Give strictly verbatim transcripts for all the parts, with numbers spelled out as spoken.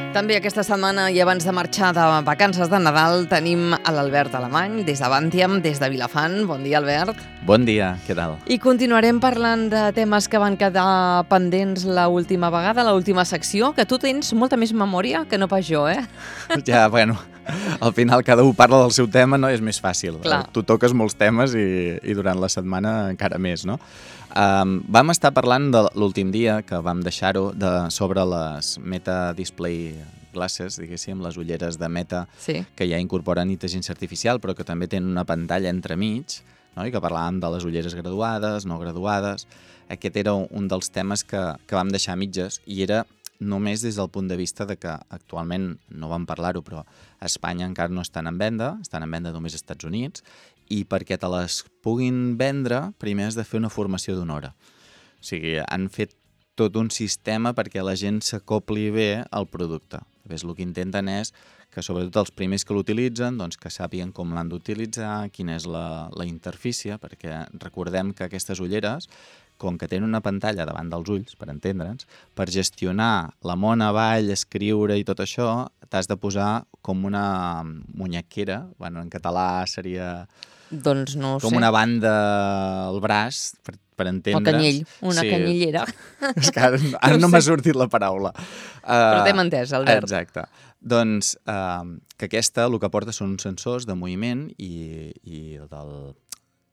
També aquesta setmana i abans de marxar de vacances de Nadal tenim a l'Albert Alemany des de Bantiam, des de Vilafant. Bon dia, Albert. Bon dia, què tal? I continuarem parlant de temes que van quedar pendents l'última vegada, l'última secció, que tu tens molta més memòria que no pas jo, eh? Ja, bueno, al final cada un parla del seu tema, no? És més fàcil. Clar. Tu toques molts temes i, i durant la setmana encara més, no? Um, vam estar parlant de l'últim dia, que vam deixar-ho, de, sobre les Meta Display Glasses, diguéssim, les ulleres de Meta, Sí. que ja incorporen intel·ligència artificial, però que també tenen una pantalla entremig, no? I que parlàvem de les ulleres graduades, no graduades. Aquest era un dels temes que, que vam deixar a mitges, i era només des del punt de vista de que actualment, no vam parlar-ho, però a Espanya encara no estan en venda, estan en venda només als Estats Units, i perquè te les puguin vendre, primer has de fer una formació d'una hora. O sigui, han fet tot un sistema perquè la gent s'acopli bé al producte. Llavors, el que intenten és que, sobretot els primers que l'utilitzen, doncs, que sàpiguen com l'han d'utilitzar, quina és la, la interfície, perquè recordem que aquestes ulleres, com que tenen una pantalla davant dels ulls, per entendre'ns, per gestionar la mona avall, escriure i tot això, t'has de posar com una muñequera, bueno, en català seria Doncs no ho com sé. una banda al braç, per, per entendre's. El canyell, una Sí. canyellera. És que ara, ara no, No m'ha sé. sortit la paraula. Però Uh, t'hem entès, Albert. Exacte. Doncs uh, que aquesta el que porta són uns sensors de moviment i, i del,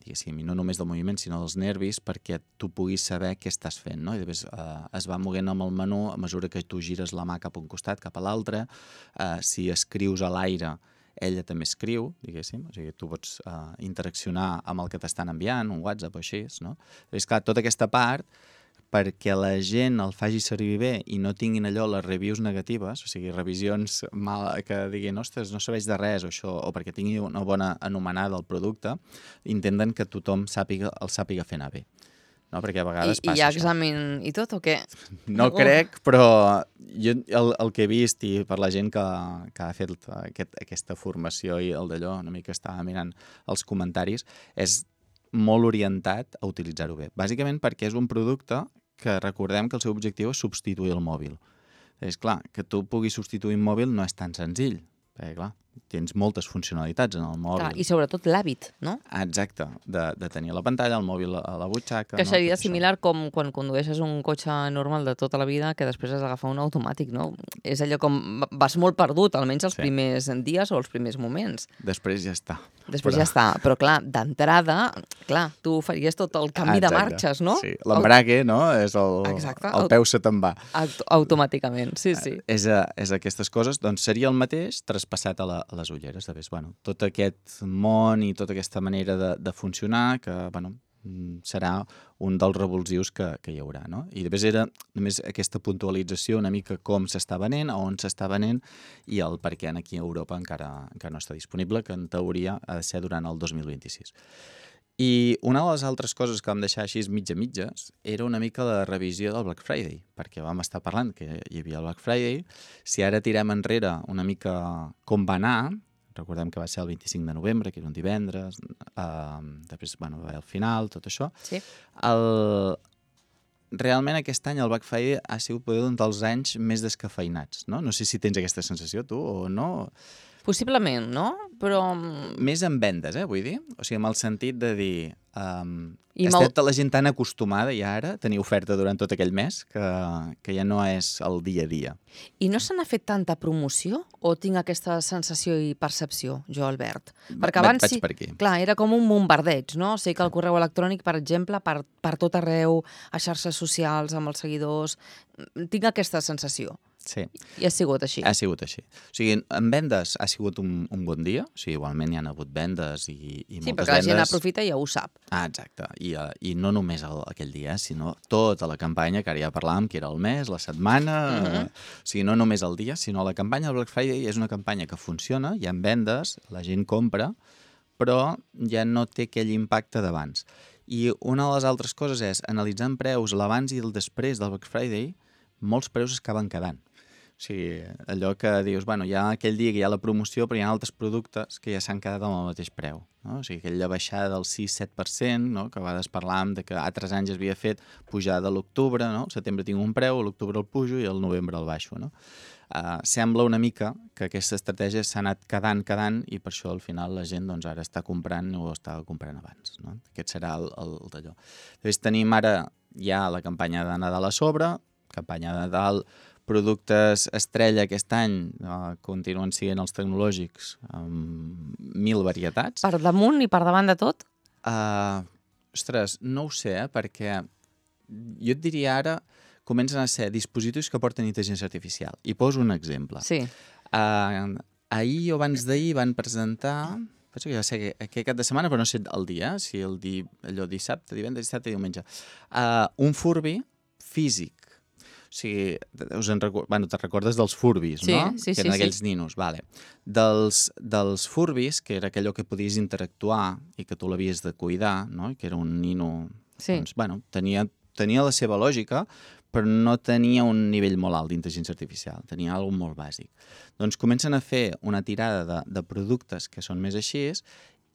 diguéssim, i no només del moviment, sinó dels nervis, perquè tu puguis saber què estàs fent, no? I després uh, es va moguent amb el menú a mesura que tu gires la mà cap a un costat, cap a l'altre. Uh, si escrius a l'aire, ella també escriu, diguéssim, o sigui, tu pots uh, interaccionar amb el que t'estan enviant, un WhatsApp o així, no? És clar, tota aquesta part, perquè la gent el faci servir bé i no tinguin allò les reviews negatives, o sigui, revisions mal, que diguin, ostres, no serveix de res o això, o perquè tingui una bona anomenada al producte, intenten que tothom sàpiga, el sàpiga fer anar bé. No? Perquè a I, vegades I passa hi ha això. examen i tot o què? No Oh. crec, però jo el, el que he vist i per la gent que, que ha fet aquest, aquesta formació i el d'allò, una mica estava mirant els comentaris, és molt orientat a utilitzar-ho bé. Bàsicament perquè és un producte que recordem que el seu objectiu és substituir el mòbil. És clar, que tu puguis substituir un mòbil no és tan senzill, perquè clar, tens moltes funcionalitats en el mòbil. Clar, i sobretot l'hàbit, no? Exacte, de, de tenir la pantalla, el mòbil a la butxaca... Que no? seria Tot això. similar com quan condueixes un cotxe normal de tota la vida que després has d'agafar un automàtic, no? És allò com vas molt perdut, almenys els Sí. primers dies o els primers moments. Després ja està. Després Però- ja està. Però clar, d'entrada, clar, tu faries tot el canvi de Exacte. marxes, no? Sí, l'embrague, no? És el, Exacte. el peu se te'n va. Aut automàticament, sí, sí. És, a, és aquestes coses, doncs seria el mateix traspassat a, la, a les ulleres. De vegades, bueno, tot aquest món i tota aquesta manera de, de funcionar que, bueno, mm, serà un dels revulsius que, que hi haurà, no? I després era només aquesta puntualització una mica com s'està venent, a on s'està venent i el per què aquí a Europa encara, encara no està disponible, que en teoria ha de ser durant el dos mil vint-i-sis. I una de les altres coses que vam deixar així mitja-mitges era una mica la revisió del Black Friday, perquè vam estar parlant que hi havia el Black Friday. Si ara tirem enrere una mica com va anar, recordem que va ser el vint-i-cinc de novembre, que era un divendres, eh, després, bueno, va haver el final, tot això. Sí. El... Realment aquest any el Black Friday ha sigut poder un dels anys més descafeinats, no? No sé si tens aquesta sensació, tu, o no. Possiblement, no? Però... Més en vendes, eh, vull dir? O sigui, amb el sentit de dir... Um, I està molt- tota la gent tan acostumada ja ara a tenir oferta durant tot aquell mes que, que ja no és el dia a dia. I no se n'ha fet tanta promoció o tinc aquesta sensació i percepció, jo, Albert? Perquè Va- abans vaig sí, per aquí. clar, era com un bombardeig, no? Sé que el correu electrònic, per exemple, per, per tot arreu, a xarxes socials, amb els seguidors, tinc aquesta sensació. Sí, I ha sigut així. ha sigut així. O sigui, en vendes ha sigut un, un bon dia, o sigui, igualment hi ha hagut vendes i, i Sí, moltes perquè la gent vendes. aprofita i ja ho sap. Ah, exacte. I, uh, i no només el, aquell dia, sinó tota la campanya, que ara ja parlàvem, que era el mes, la setmana... Uh Mhm. -huh. O sigui, no només el dia, sinó la campanya del Black Friday és una campanya que funciona, hi ha vendes, la gent compra, però ja no té aquell impacte d'abans. I una de les altres coses és, analitzant preus l'abans i el després del Black Friday, molts preus es acaben quedant. O sigui, allò que dius, bueno, hi ha aquell dia que hi ha la promoció, però hi ha altres productes que ja s'han quedat amb el mateix preu. No? O sigui, aquella baixada del sis set per cent, no? Que a vegades parlàvem de que altres anys es havia fet pujada a l'octubre, no? Al setembre tinc un preu, a l'octubre el pujo i al novembre el baixo, no? Uh, sembla una mica que aquesta estratègia s'ha anat quedant, quedant, i per això al final la gent doncs, ara està comprant o estava comprant abans. No? Aquest serà el, el, el d'allò. Després tenim ara ja la campanya de Nadal a sobre, campanya de Nadal, productes estrella aquest any uh, continuen sent els tecnològics amb mil varietats. Per damunt i per davant de tot? Uh, ostres, no ho sé, eh, perquè jo et diria ara comencen a ser dispositius que porten intel·ligència artificial. I poso un exemple. Sí. Uh, ahir o abans d'ahir van presentar, penso que ja sé aquest cap de setmana, però no sé el dia, si el di, allò dissabte, divendres, dissabte, diumenge, uh, un Furby físic. O sigui, us en record... bueno, te'n recordes dels Furbis, sí, no? Sí, que sí, eren aquells sí. ninos. Vale. Dels, dels Furbis, que era aquellò que podies interactuar i que tu l'havies de cuidar, no? Que era un nino... Sí. Doncs, bueno, tenia, tenia la seva lògica, però no tenia un nivell molt alt d'intel·ligència artificial, tenia alguna molt bàsic. Doncs comencen a fer una tirada de, de productes que són més així,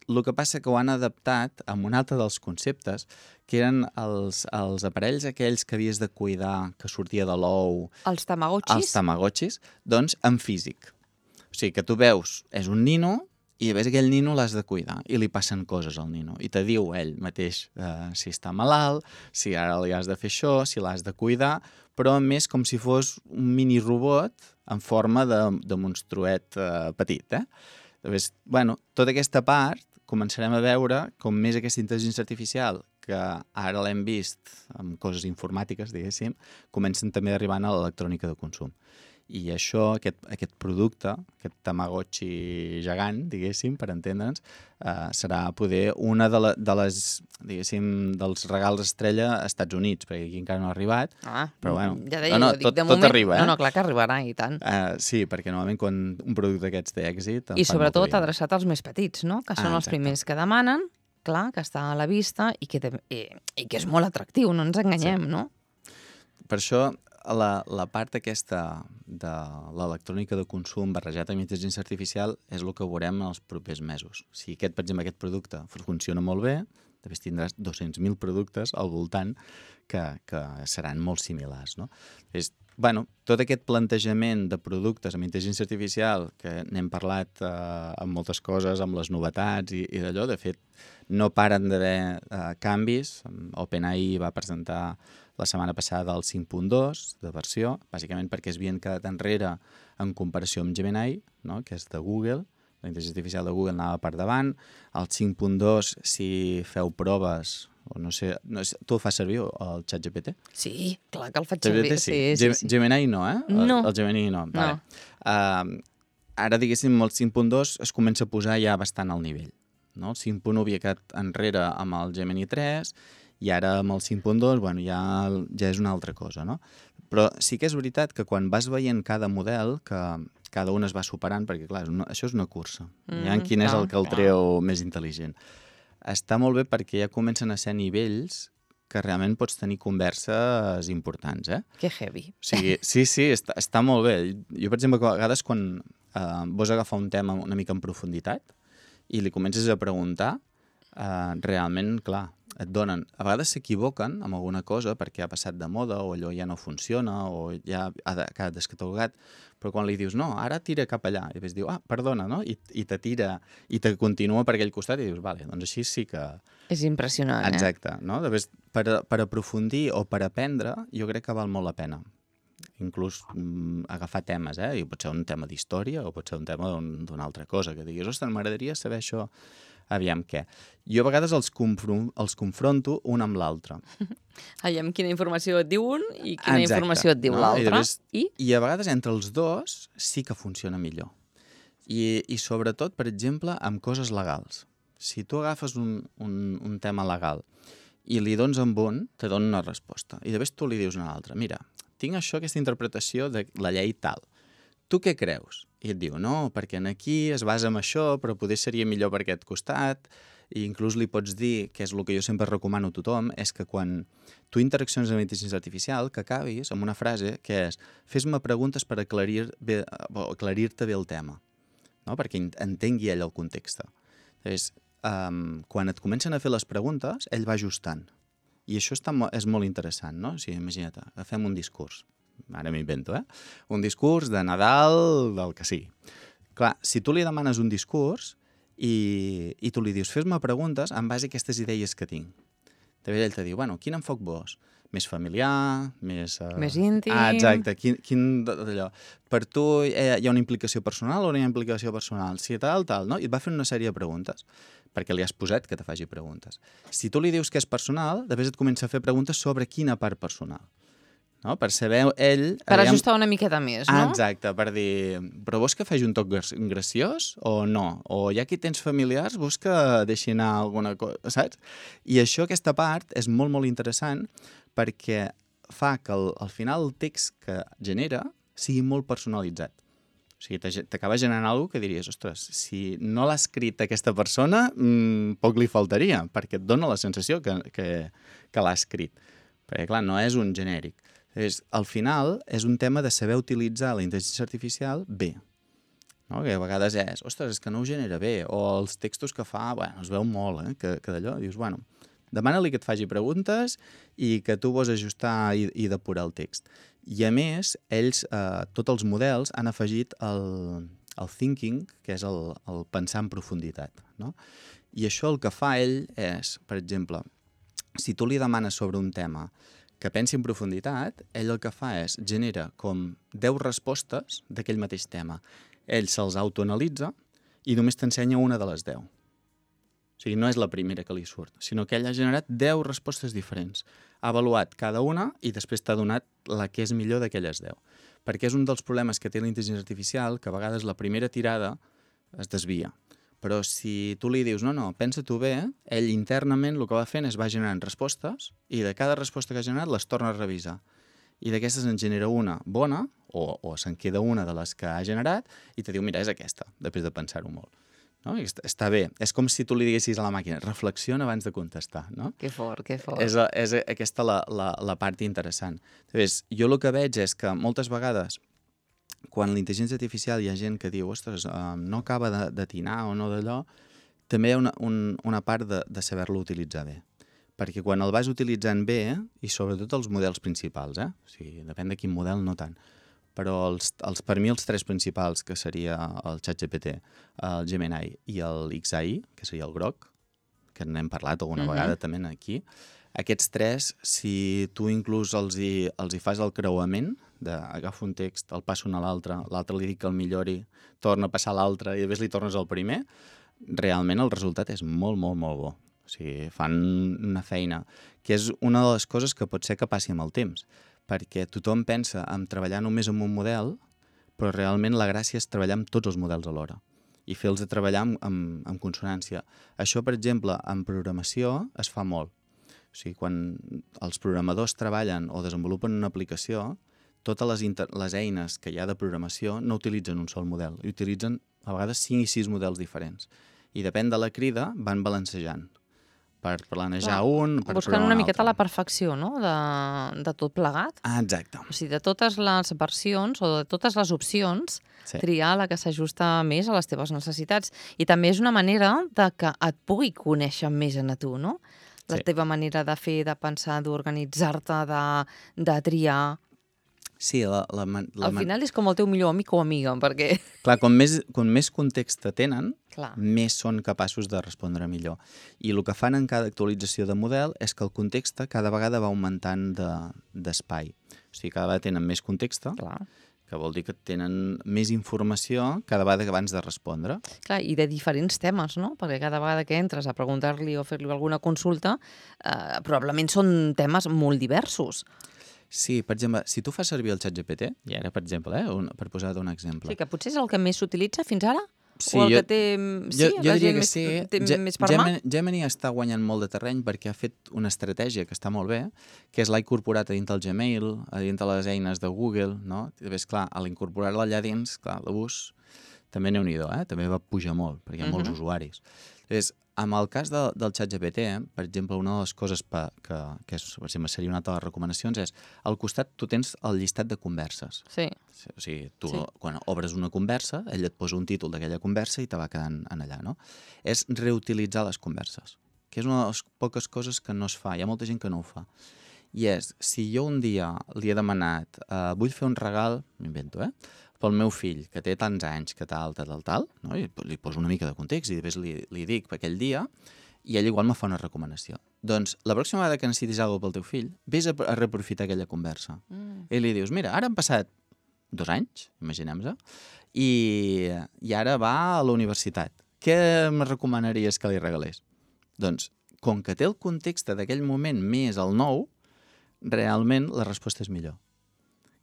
el que passa que ho han adaptat amb un altre dels conceptes, que eren els, els aparells aquells que havies de cuidar, que sortia de l'ou... Els tamagotxis? Els tamagotxis, doncs en físic. O sigui, que tu veus, és un nino, i a veure aquell nino l'has de cuidar i li passen coses al nino. I te diu ell mateix eh, si està malalt, si ara li has de fer això, si l'has de cuidar, però més com si fos un mini robot en forma de, de monstruet eh, petit. Eh? Llavors, bueno, tota aquesta part començarem a veure com més aquesta intel·ligència artificial, que ara l'hem vist amb coses informàtiques, diguéssim, comencen també a arribar a l'electrònica de consum. I això, aquest, aquest producte, aquest tamagotxi gegant, diguéssim, per entendre'ns, eh, serà poder una de, la, de les, diguéssim, dels regals estrella als Estats Units, perquè aquí encara no ha arribat. Ah, però bueno, ja deia, no, no, dic, tot, de tot moment... arriba, eh? No, no, clar que arribarà, i tant. Uh, sí, perquè normalment quan un producte d'aquests té èxit... I sobretot adreçat als més petits, no? Que són ah, els primers que demanen, clar, que està a la vista i que, te, i, i que és molt atractiu, no ens enganyem, sí. No? Per això la, la part aquesta de l'electrònica de consum barrejat amb intel·ligència artificial és el que veurem en els propers mesos. Si aquest, per exemple, aquest producte funciona molt bé, després tindràs dos-cents mil productes al voltant que, que seran molt similars, no? És, bueno, tot aquest plantejament de productes amb intel·ligència artificial, que n'hem parlat eh, amb moltes coses, amb les novetats i, i d'allò, de fet, no paren d'haver eh, canvis. OpenAI va presentar la setmana passada el cinc punt dos de versió, bàsicament perquè es havien quedat enrere en comparació amb Gemini, no? Que és de Google. La intel·ligència artificial de Google anava per davant. El cinc punt dos, si feu proves, o no sé, no sé, tu el fas servir, el ChatGPT? Sí, clar que el faig servir. Sí. Sí, sí, sí. Gemini no, eh? No. El, el Gemini no. No. Vale. Uh, ara, diguéssim, el cinc punt dos es comença a posar ja bastant al nivell. No? El cinc punt u havia quedat enrere amb el Gemini tres, i ara amb el cinc punt dos, bueno, ja, ja és una altra cosa, no? Però sí que és veritat que quan vas veient cada model, que cada un es va superant, perquè clar, una, això és una cursa. Mm, ja quin és el que el treu més intel·ligent. Està molt bé perquè ja comencen a ser nivells que realment pots tenir converses importants, eh? Que heavy. O sigui, sí, sí, està, està molt bé. Jo, per exemple, a vegades quan eh, vols agafar un tema una mica en profunditat i li comences a preguntar, eh, realment, clar, et donen... A vegades s'equivoquen amb alguna cosa perquè ha passat de moda o allò ja no funciona o ja ha quedat descatalogat, però quan li dius, no, ara tira cap allà, i després diu, ah, perdona, no? I, i te tira, i te continua per aquell costat i dius, vale, doncs així sí que... És impressionant, eh? Exacte, no? Després, per, per aprofundir o per aprendre, jo crec que val molt la pena. Inclús mm, agafar temes, eh? I pot ser un tema d'història o pot ser un tema d'una altra cosa, que diguis, ostres, m'agradaria saber això, aviam què. Jo a vegades els, els confronto un amb l'altre. Aviam quina informació et diu un i quina Exacte, informació et diu no? l'altre. I, I? I a vegades entre els dos sí que funciona millor. I, i sobretot, per exemple, amb coses legals. Si tu agafes un, un, un tema legal i li dones amb un, te dona una resposta. I després tu li dius una altra. Mira, tinc això, aquesta interpretació de la llei tal. Tu què creus? I et diu, no, perquè aquí es basa en això, però poder seria millor per aquest costat. I inclús li pots dir, que és el que jo sempre recomano a tothom, és que quan tu interacciones amb intel·ligència artificial, que acabis amb una frase que és fes-me preguntes per aclarir-te bé, aclarir bé el tema, no? Perquè entengui ell el context. Llavors, um, quan et comencen a fer les preguntes, ell va ajustant. I això està, és molt interessant, no? O sigui, imagina't, agafem un discurs. ara m'invento, eh? Un discurs de Nadal, del que sigui. Clar, si tu li demanes un discurs i, i tu li dius, fes-me preguntes en base a aquestes idees que tinc. També ell te diu, bueno, quin enfoc vols? Més familiar, més... Uh... Més íntim... Ah, exacte, quin, quin d'allò. Per tu hi ha una implicació personal o no hi ha implicació personal? Si tal, tal, no? I et va fer una sèrie de preguntes, perquè li has posat que te faci preguntes. Si tu li dius que és personal, després et comença a fer preguntes sobre quina part personal. No? Per saber ell... Per aviam... ajustar una miqueta més, no? Ah, exacte, per dir, però vols que faci un toc graciós o no? O ja que tens familiars, vols que deixi anar alguna cosa, saps? I això, aquesta part, és molt, molt interessant perquè fa que al, al final el text que genera sigui molt personalitzat. O sigui, t'acaba generant alguna que diries, ostres, si no l'ha escrit aquesta persona, mmm, poc li faltaria, perquè et dona la sensació que, que, que l'ha escrit. Perquè, clar, no és un genèric. És, al final, és un tema de saber utilitzar la intel·ligència artificial bé. No? Que a vegades és, ostres, és que no ho genera bé, o els textos que fa, bueno, es veu molt, eh? que, que d'allò, dius, bueno, demana-li que et faci preguntes i que tu vols ajustar i, i depurar el text. I a més, ells, eh, tots els models, han afegit el, el thinking, que és el, el pensar en profunditat. No? I això el que fa ell és, per exemple, si tu li demanes sobre un tema que pensi en profunditat, ell el que fa és genera com deu respostes d'aquell mateix tema. Ell se'ls autoanalitza i només t'ensenya una de les deu. O sigui, no és la primera que li surt, sinó que ell ha generat deu respostes diferents. Ha avaluat cada una i després t'ha donat la que és millor d'aquelles deu. Perquè és un dels problemes que té la intel·ligència artificial, que a vegades la primera tirada es desvia. Però si tu li dius, no, no, pensa-t'ho bé, ell internament el que va fent és va generant respostes i de cada resposta que ha generat les torna a revisar. I d'aquestes en genera una bona o, o se'n queda una de les que ha generat i te diu, mira, és aquesta, després de pensar-ho molt. No? I està, està bé. És com si tu li diguessis a la màquina, reflexiona abans de contestar. No? Que fort, que fort. És, és aquesta la, la, la part interessant. Llavors, jo el que veig és que moltes vegades quan la intel·ligència artificial hi ha gent que diu ostres, uh, no acaba d'atinar o no d'allò, també hi ha una, un, una part de, de saber-lo utilitzar bé. Perquè quan el vas utilitzant bé, i sobretot els models principals, eh? O sigui, depèn de quin model, no tant, però els, els, per mi els tres principals, que seria el ChatGPT, el Gemini i el X A I, que seria el groc, que n'hem parlat alguna uh-huh. vegada també aquí, aquests tres, si tu inclús els hi, els hi fas el creuament, d'agafar un text, el passo a l'altre, l'altre li dic que el millori, torna a passar a l'altre i després li tornes al primer, realment el resultat és molt, molt, molt bo. O sigui, fan una feina, que és una de les coses que pot ser que passi amb el temps, perquè tothom pensa en treballar només amb un model, però realment la gràcia és treballar amb tots els models alhora i fer-los treballar amb, amb, amb consonància. Això, per exemple, en programació es fa molt. O sigui, quan els programadors treballen o desenvolupen una aplicació, totes les, inter... les eines que hi ha de programació no utilitzen un sol model, i utilitzen a vegades cinc i sis models diferents. I depèn de la crida, van balancejant per planejar Clar, un, per buscant un una miqueta altre. La perfecció, no?, de, de tot plegat. Ah, exacte. O sigui, de totes les versions o de totes les opcions, sí. Triar la que s'ajusta més a les teves necessitats. I també és una manera de que et pugui conèixer més a tu, no? La sí. teva manera de fer, de pensar, d'organitzar-te, de, de triar... Sí, la, la, la, al final és com el teu millor amic o amiga, perquè... Clar, com més, com més context tenen, Clar. més són capaços de respondre millor. I el que fan en cada actualització de model és que el context cada vegada va augmentant d'espai. De, o sigui, cada vegada tenen més context, Clar. que vol dir que tenen més informació cada vegada abans de respondre. Clar, i de diferents temes, no? Perquè cada vegada que entres a preguntar-li o fer-li alguna consulta, eh, probablement són temes molt diversos. Sí, per exemple, si tu fas servir el ChatGPT, i ara, per exemple, eh, un, per posar un exemple... Sí, que potser és el que més s'utilitza fins ara? Sí, o el jo, que té, sí, jo, jo diria que més, sí. té Ge més per mà? Gemini, Gemini està guanyant molt de terreny perquè ha fet una estratègia que està molt bé, que és l'ha incorporat a dintre el Gmail, a dintre les eines de Google, no? I després, clar, a l'incorporar-la allà dins, clar, l'ús també n'hi-do, eh? També va pujar molt, perquè hi ha molts uh -huh. usuaris. Llavors, amb el cas de, del ChatGPT, eh, per exemple, una de les coses pa, que, que és, per exemple, seria una de les recomanacions és, al costat tu tens el llistat de converses. Sí. O sigui, tu, sí. quan obres una conversa, ell et posa un títol d'aquella conversa i te va quedant en allà, no? És reutilitzar les converses, que és una de les poques coses que no es fa. Hi ha molta gent que no ho fa. I és, si jo un dia li he demanat, uh, vull fer un regal, m'invento, eh? pel meu fill, que té tants anys, que tal, tal, tal, tal, no? I li poso una mica de context i després li, li dic per aquell dia i ell igual me fa una recomanació. Doncs la pròxima vegada que necessitis alguna cosa pel teu fill, vés a, a reaprofitar aquella conversa. Mm. I li dius, mira, ara han passat dos anys, imaginem-se, i, i ara va a la universitat. Què em recomanaries que li regalés? Doncs, com que té el context d'aquell moment més el nou, realment la resposta és millor.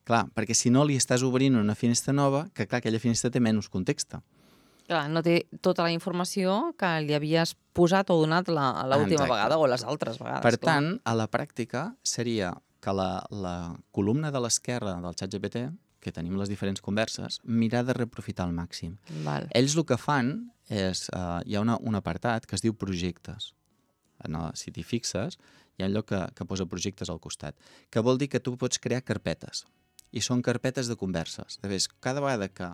Clar, perquè si no li estàs obrint una finestra nova, que clar, aquella finestra té menys context. Clar, no té tota la informació que li havies posat o donat l'última vegada o les altres vegades. Per clar. tant, a la pràctica seria que la, la columna de l'esquerra del ChatGPT, que tenim les diferents converses, mirar de reaprofitar al màxim. Val. Ells el que fan és, uh, hi ha una, un apartat que es diu projectes. No, si t'hi fixes, hi ha allò que, que posa projectes al costat, que vol dir que tu pots crear carpetes. I són carpetes de converses. De fet, cada vegada que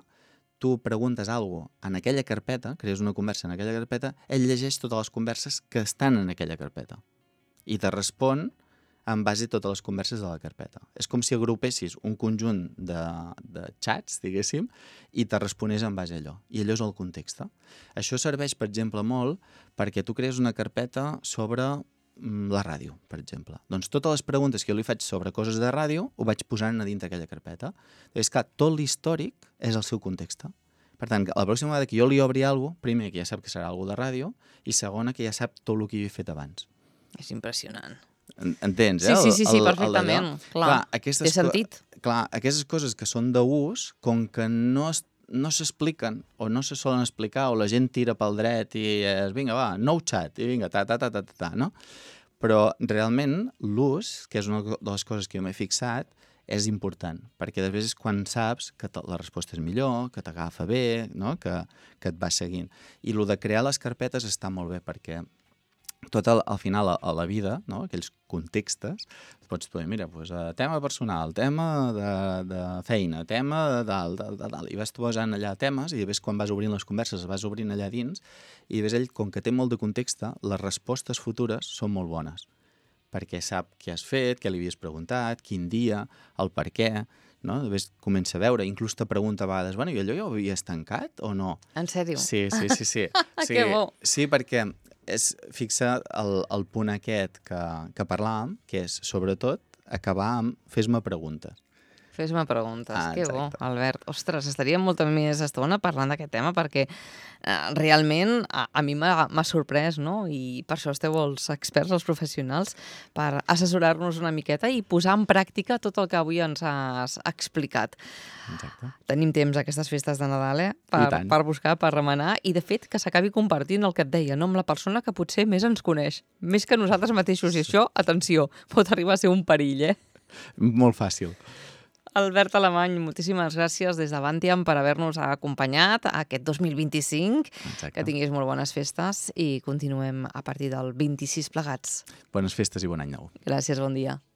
tu preguntes alguna cosa en aquella carpeta, crees una conversa en aquella carpeta, ell llegeix totes les converses que estan en aquella carpeta. I te respon en base a totes les converses de la carpeta. És com si agrupessis un conjunt de, de xats, diguéssim, i te responés en base a allò. I allò és el context. Això serveix, per exemple, molt perquè tu crees una carpeta sobre la ràdio, per exemple. Doncs totes les preguntes que jo li faig sobre coses de ràdio ho vaig posant a dintre aquella carpeta. És que tot l'històric és el seu context. Per tant, la pròxima vegada que jo li obri alguna cosa, primer, que ja sap que serà alguna de ràdio, i segona, que ja sap tot el que jo he fet abans. És impressionant. Entens, eh? Sí, sí, sí, sí el, perfectament. El, clar, clar té sentit. Clar, aquestes coses que són d'ús, com que no es no s'expliquen o no se solen explicar o la gent tira pel dret i és, vinga, va, nou xat, i vinga, ta, ta, ta, ta, ta, ta, no? Però realment l'ús, que és una de les coses que jo m'he fixat, és important, perquè després és quan saps que la resposta és millor, que t'agafa bé, no? que, que et va seguint. I el de crear les carpetes està molt bé, perquè tot el, al final a, a la vida, no? Aquells contextes, pots dir, mira, pues, uh, tema personal, tema de, de feina, tema de dalt, de, de dalt, i vas posant allà temes, i després quan vas obrint les converses, vas obrint allà dins, i després ell, com que té molt de context, les respostes futures són molt bones, perquè sap què has fet, què li havies preguntat, quin dia, el per què, no? Després comença a veure, inclús te pregunta a vegades, bueno, i allò ja ho havies tancat o no? En sèrio? Sí, sí, sí. sí. sí Que bo! Sí, perquè és fixar el, el punt aquest que, que parlàvem, que és, sobretot, acabar amb fes-me preguntes. Fes-me preguntes, ah, que bo, Albert. Ostres, estaríem molta més estona parlant d'aquest tema perquè eh, realment a, a mi m'ha sorprès, no? I per això esteu els experts, els professionals, per assessorar-nos una miqueta i posar en pràctica tot el que avui ens has explicat. Exacte. Tenim temps aquestes festes de Nadal, eh? Per, per buscar, per remenar, i de fet que s'acabi compartint el que et deia, no? Amb la persona que potser més ens coneix, més que nosaltres mateixos. I això, atenció, pot arribar a ser un perill, eh? Molt fàcil. Albert Alemany, moltíssimes gràcies des d'Avantiam per haver-nos acompanyat aquest dos mil vint-i-cinc. Exacte. Que tinguis molt bones festes i continuem a partir del vint-i-sis plegats. Bones festes i bon any nou. Gràcies, bon dia.